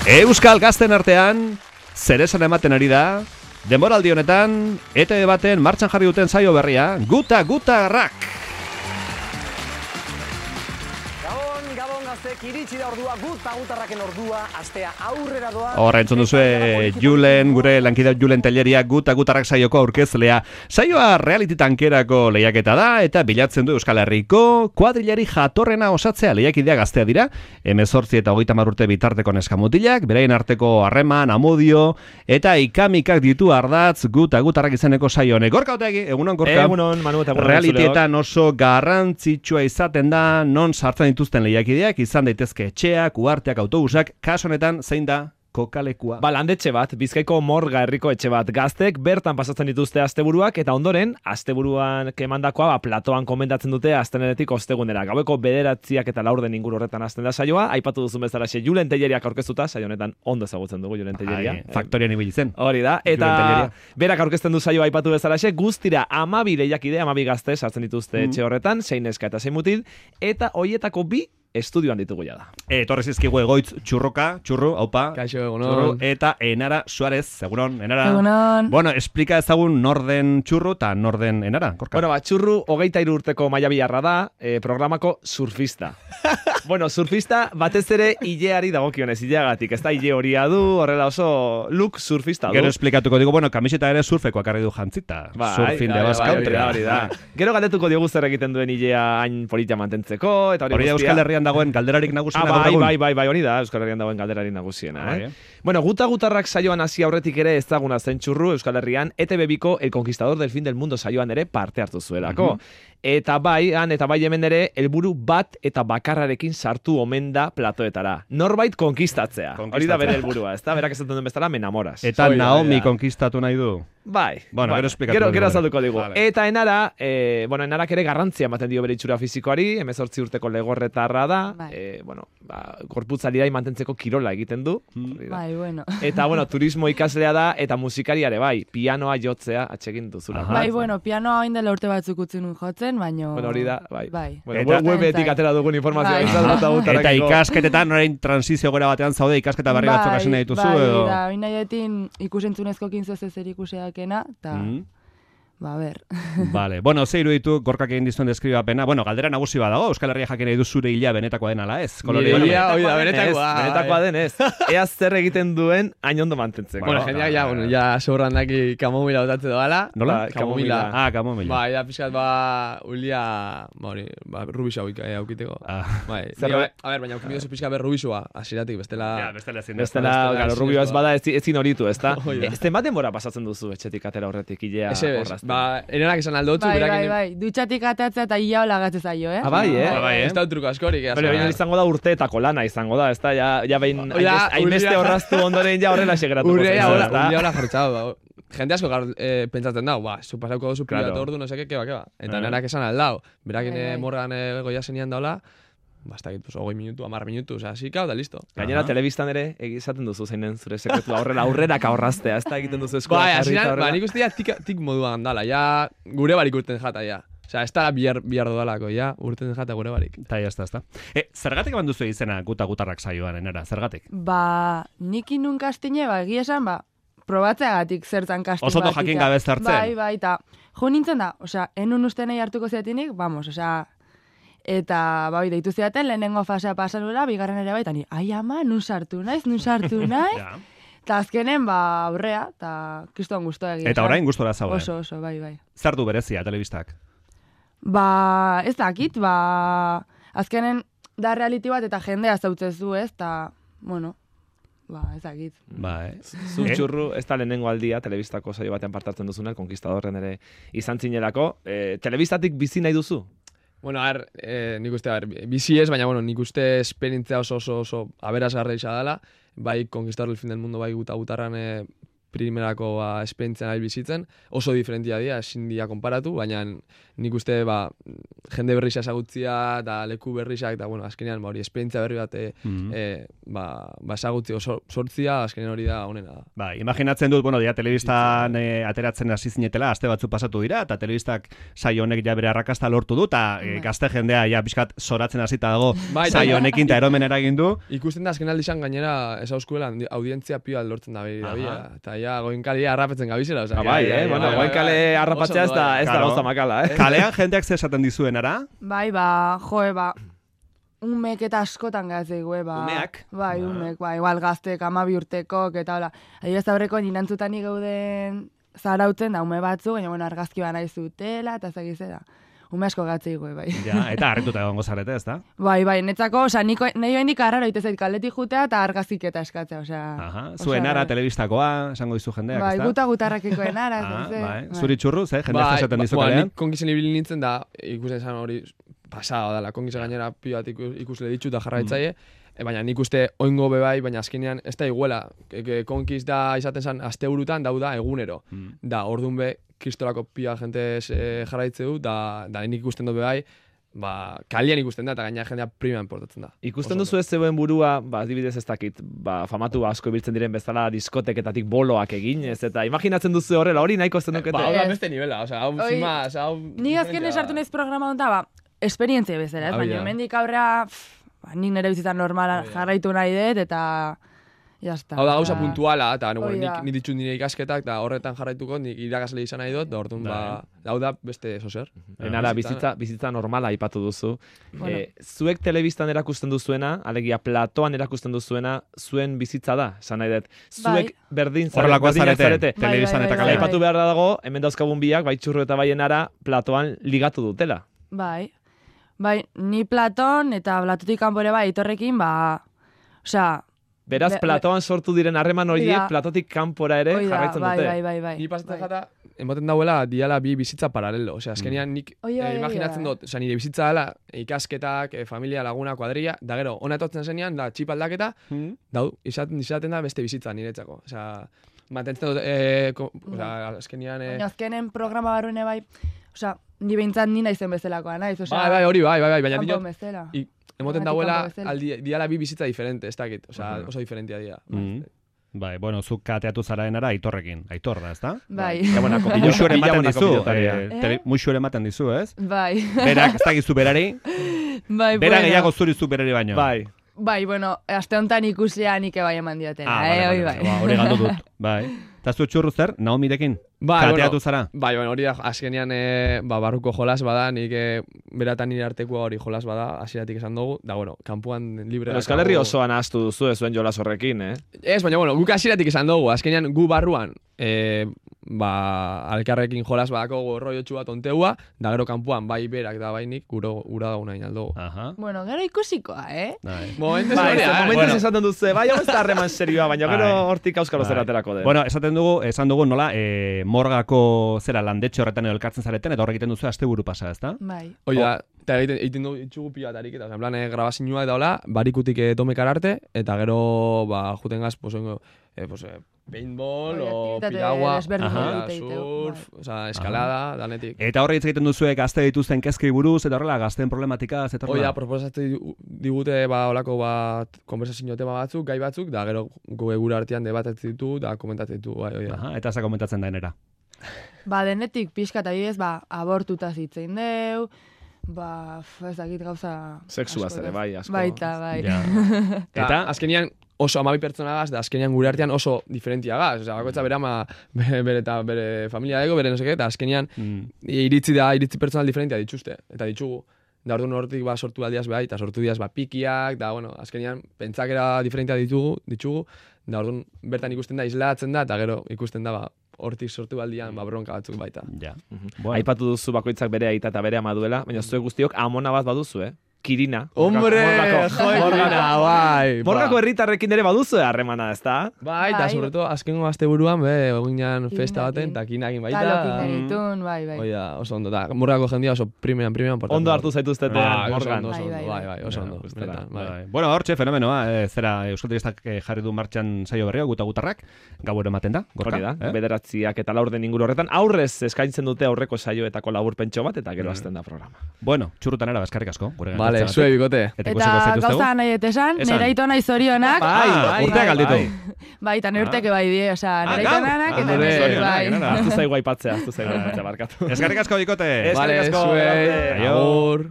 Euskal gazten artean, zer esan ematen ari da, denboraldi honetan, ETV baten martxan jarri duten saio berria, Guta Rak! Iritsi da ordua, Gutarraken ordua, astea aurrera doa. Horra entzun duzue Julen, gure lankidea Julen Telleria, Gutarrak saioko aurkezlea. Saioa reality tankerako lehiaketa da, eta bilatzen du Euskal Herriko kuadrilari jatorrena osatzea lehiakidea gaztea dira. 18 eta 30 urte bitarteko neskamutilak, beraien arteko harreman, amodio, eta ikamikak ditu ardatz Gutarrak izeneko saio honek. Gorka Otegi, egunon Gorka. Egunon, Manu, eta egunon. Realitietan oso garrantzitsua izaten da, non sartzen dituzten lehiakideak, izan daitezke etxeak, uharteak, autobusak, kaso honetan zein da kokalekua. Landetxe bat, Bizkaiko Morga herriko etxe bat. Gaztek bertan pasatzen dituzte asteburuak eta ondoren asteburuan kemandakoa platoan komendatzen dute astenenetik ostegunera. Gaueko 9 eta 4 inguru horretan hasten da saioa. Aipatu duzun bezalaxe Julen Telleriak aurkeztuta, saio honetan ondo ezagutzen dugu Julen Telleria. Faktorian ibili zen. Hori da, eta berak aurkezten du saioa aipatu bezalaxe, guztira 12 lehiakide, 12 gazte sartzen dituzte etxe horretan, 6 neska eta 6 mutil, eta hoietako 2 estudioan ditugu ja da. Etorri zizkigu Egoitz Churru, haupa. Kaixo, egunon. Eta Enara Suarez, egunon, Enara. Egunon. Bueno, explika ezagun norden Churru eta norden Enara, Gorka. Bueno, Churru 23 urteko maiabiarra da, programako surfista. Bueno, surfista batez ere ileari dagokionez, ileagatik, ez da ile horia du, horrela oso look surfista du. Gero esplikatuko digo, bueno, kamiseta ere surfeko akarri du jantzita. Surfin de Basque Country. Hori da. Gero galdetuko diogu zer egiten duen ilea hain polita mantentzeko, eta hori da Euskal Herrian dagoen galderarik nagusiena. Bai, hori da, Euskal Herrian dagoen galderarik nagusiena. Bueno, Gutarrak saioan hasi aurretik ere ezaguna zen Churru Euskal Herrian, ETV Biko El Conquistador del Fin del Mundo saioan ere parte hartu zuelako. Eta bai hemen ere, helburu bat eta bakarrarekin sartu omen da platoetara. Norbait konkistatzea. Hori da bere helburua, ezta? Berak esaten duen bezala, me enamoras. Eta Naomi konkistatu nahi du. Bai. Bueno, gero esplikatu. Gero azalduko digu. Eta Enara, Enarak ere garrantzia ematen dio bere itxura fisikoari, 18 urteko legorretarra da, gorputzalira mantentzeko kirola egiten du. Bai, bueno. Eta, turismo ikaslea da, eta musikariare bai, pianoa jotzea atsegin duzula. Bai, pianoa hain dela urte batzuk utzi nun jotzen, baina... Bueno, hori da, bai. Webetik atera dugun informazioa. Eta ikasketetan, orain transizio gora batean zaude, ikasketa berri batzuk hasi nahi dituzu, edo? Bai, hori nahi ikusentzunezko 15 zer ikuseakena, eta... Ba, ber. Vale. Bueno, ze iruditu Gorkak egin dizuen deskribapena. Bueno, galdera nagusi badago, Euskal Herria jakin nahi du zure hilea benetakoa den ala ez? Benetakoa den ez. Ea zer egiten duen hain ondo mantentzeko. Bueno, jendeak ja soberran daki kamomila botatze doala. Nola? Kamomila. Kamomila. Ba, ja pixkat ulia, rubisa aukiteko. Bai. A ber, baina aukimidozu pixkat rubisua, asiratik, bestela... Bestela, rubioa ez bada ezin horitu, ezta? Zenbat denbora pasatzen duzu etxetik atera horretik hilea horrazten? Enenak esan aldotzu. Bai. Dutxatik atatzea eta ia hola gatze zaio, Bai, Ez da truko askorik. Baina izango da urteetako lana izango da, ez da? Ja behin hainbeste horraztu ondoren ja horrela segeratuko. Urrea hola jartzau. Jende asko pentsatzen dau, zu pasauko dozu privatu ordu, no seke, keba. Eta nenak esan aldau. Berakin morgan goia zenian daula, basta gitu, 20 minutu, 10 minutu, zikau da listo. Gainera, telebistan ere egizaten duzu zeinen zure sekretua aurrerak aurraztea, ez da egiten duzu eskola. Bai, asinan, nik uste tik moduan dala, ja gure barik urten jata, ja. Ez da bihar dudalako, ja, urten jata gure barik. Eta jazta. Zergatik eman duzu izena Gutarrak saioan, Enara, zergatik? Ba, nik inun kastine, egia esan, probatzeagatik zertan kastin batik. Oso jakin gabe zertzen. Bai, eta jo nintzen da, enun uste nahi hartuko zeatinik, eta deitu zeaten, lehenengo fasea pasanuela, bigarren ere bai, eta ni, ai ama, nun sartu naiz. Eta azkenen, aurrea, eta kristoan guztua egia. Eta orain guztora zauden. Oso, bai. Zer du berezia, telebistak? Ez dakit, azkenen da reality bat eta jendea zautzez du, ez, eta, ez dakit. Zutxurru, ez da lehenengo aldia, telebistako saio batean partartzen duzuna, Conquistadorren ere izan zinelako. Telebistatik bizi nahi duzu? Bueno, nik uste, bizi ez, baina, nik uste esperientzia oso aberazgarra isa dela, bai, Conquistador del Fin del Mundo, bai, Gutarran primerako esperientzia nahi bizitzen, oso diferentia dira, ezin dira konparatu, baina nik uste jende berrixa ezagutzia eta leku berrixak, eta bueno, azkenean hori esperientzia berri bat ezagutzi sortzia, azkenean hori da honena da. Ba, imaginatzen dut, bueno, dia telebistan ateratzen hasi zinetela, aste batzu pasatu dira, eta telebistak saio honek ja bere arrakasta lortu du, eta gazte jendea ja pixkat zoratzen hasita dago saio honekin eta eromen eragin du. Ikusten da azken aldizan gainera ez auskuela audientzia pioa lortzen da eta ja goinkalia harrapetzen gabizela. Goinkale harrapatzea ez da gauza makala, Kalean jendeak ze esaten dizuen, ara? Bai, umek eta askotan gazteigu, Umeak? Bai, umek, igual gaztek 12 urtekok, eta hola. Adibidez aurreko ninantzutani gauden zarautzen da ume batzu, baina argazki nahi zutela, eta zagize da. Ume asko gatzeigu, bai. Ja, eta harrituta egongo zarete, ez da? Bai, netzako, nahi bendik arraro itezait kaletik jutea eta argazik eta eskatzea, Aha, zuen ara, telebistakoa, esango dizu jendeak, ez da? Bai, gutarrakikoen ara, bai. Zuri txurruz, jendeak esaten dizu kalean? Nik kongizen ibili nintzen da, ikusten zan hori pasada dela, kongizen gainera pioat ikusle ditut da jarraitzaile, baina nik uste oingo bebai, baina azkenean ez da iguela, konkiz da izaten zan aste burutan dauda egunero, da ordun be kristolako pia jente jarraitze du, da nik ikusten dut bebai, kalian ikusten da, eta gaina jendea primean portatzen da. Ikusten duzu ez zeuen burua, adibidez ez dakit, famatu asko ibiltzen diren bezala diskoteketatik boloak egin, ez eta imaginatzen duzu horrela, hori nahiko zen dukete. Hau da beste nivela, hau zimaz, hau... Ni azken esartu nahiz programa honta, esperientzia bezala, ez, baina mendik aurrea, nik nire bizitzan normala jarraitu nahi dut, eta... Jazta. Hau da gauza puntuala, eta nik ditut nire ikasketak, eta horretan jarraituko, nik irakasle izan nahi dut, da orduan, hau da beste sozer. Enara, bizitza normala aipatu duzu. Zuek telebistan erakusten duzuena, alegia platoan erakusten duzuena, zuen bizitza da, esan nahi dut. Zuek berdin zarete. Telebistan eta kalean. Aipatu behar dago, hemen dauzkagun biak, bai Txurru eta bai Enara, platoan ligatu dutela. Bai, ni platon eta platotik kanpore bai, itorrekin, Beraz, platoan sortu diren harreman horiek, platotik kanpora ere jarraitzen dute. Bai. Ni pasatzen jata, ematen dauela, diala bi bizitza paralelo. Osea, azkenean nik imaginatzen dut, osea, nire bizitza dela, ikasketak, familia, laguna, kuadrilla, da gero, ona etortzen zenean, da txip aldaketa, izaten da beste bizitza niretzako. Osea, mantentzen dut, azkenean... Baina azkenen programa barruene bai, osea, ni behintzat nina izen bezalakoa, naiz, osea... Bai, baina kanpo bezala. Emoten dauela, diala bi bizitza diferente, ez dakit, oso diferentia dira. Bai, bueno, zuk kateatu zaraenara Aitorrekin. Aitor da, ezta? Bai. Muxu ere ematen dizu, ez? Bai. Berak, ez dakizu berari? Bai, Bera gehiago zurizu berari baino. Bai, bueno, aste honetan ikuslea nik bai eman diotena, bai. Hori galdu dut, bai. Eta zu Txurru zer, Naomirekin? Kateatu zara? Bai, hori da, azkenean barruko jolas bada, nik beratan nire artekoa hori jolas bada, hasieratik esan dugu, da, bueno, kanpuan libre... Euskal Herri osoan ahaztu duzu zuen jolas horrekin, Ez, baina, bueno, guk hasieratik esan dugu, azkenean gu barruan, alkarrekin jolas badako gorroiotxu bat onteua, da gero kanpuan bai berak da bai nik ura dago nahi aldugu. Bueno, gero ikusikoa, Momentez esaten duzu, bai, hau ez da harreman serioa, baina gero hortik auskalo zeraterako den. Bueno, esan dugu nola, morgako zera landetxe horretan edo elkartzen zareten, eta horrek egiten duzu asteburu pasa, ezta? Bai. Hoi da, eta egiten du itxugu pila eta ariketa, en plan, grabazinua eta hola, barikutik domekar arte, eta gero, juten gaz, paintball, o piragua, surf, eskalada, danetik. Eta horre hitz egiten duzuek gazte dituzten kezkei buruz, eta horrela gazteen problematika, zetorla? Hoi da, proposatzen digute, olako konversazio tema batzuk, gai batzuk, da gero gure artean debatetzen ditu, da komentatzen ditu, bai. Eta za komentatzen da enera? Denetik pixka eta bidez, abortuta zitzein deu, ez dakit gauza... Sexua zere, bai, asko. Baita, bai. Eta azkenian oso 12 pertsonagaz, da azkenian gure artean oso diferentiagaz. Osea, bakoitza bere familia dago, bere noseke, eta azkenian iritzi pertsonal diferentia dituzte, eta ditugu. Da orduan hortik sortu aldiaz behar, eta sortu diaz pikiak, da, bueno, azkenian pentsakera diferentia ditugu, da orduan bertan ikusten da, islatzen da, eta gero ikusten da, hortik sortu aldian, bronka batzuk baita. Aipatu duzu bakoitzak bere aita eta bere ama duela, baina zuek guztiok amona bat baduzu, Kirina. Hombre, Kirina, Bai, Morgako herritarrekin ere baduzu harremana, ezta? Bai, eta Bai. sobreto, azkengo azte buruan, eginan festa baten, eta kinakin baita. Kalokin genitun, bai. Oia, oso ondo, da, Morgako jendia oso primeran portatu. Ondo hartu zaituztete Morgan. Oso ondo, Bai. bai, oso ondo. Gustara, benetan, bai. Bueno, hortxe fenomenoa, zera Euskal Telebistak jarri du martxan saio berria, gutarrak, gauero ematen da, gorka. Hori da, bederatziak eta laurden inguru horretan, aurrez eskaintzen dute aurreko saioetako laburpentxo bat, eta gero hasten da programa. Bueno, txurrutan era, eskerrik asko. Vale, zue bikote. Eta gauza nahi esan, Esan. nire aito nahi zorionak. Urteak alditu. Bai, eta nire urteke bai die, osea, nire gaur? itonanak eta Nire, nire bai. Aztu zaigu aipatzea, barkatu. Eskerrik asko, bikote. Vale, Eskerrik asko, zuei, Aio. agur.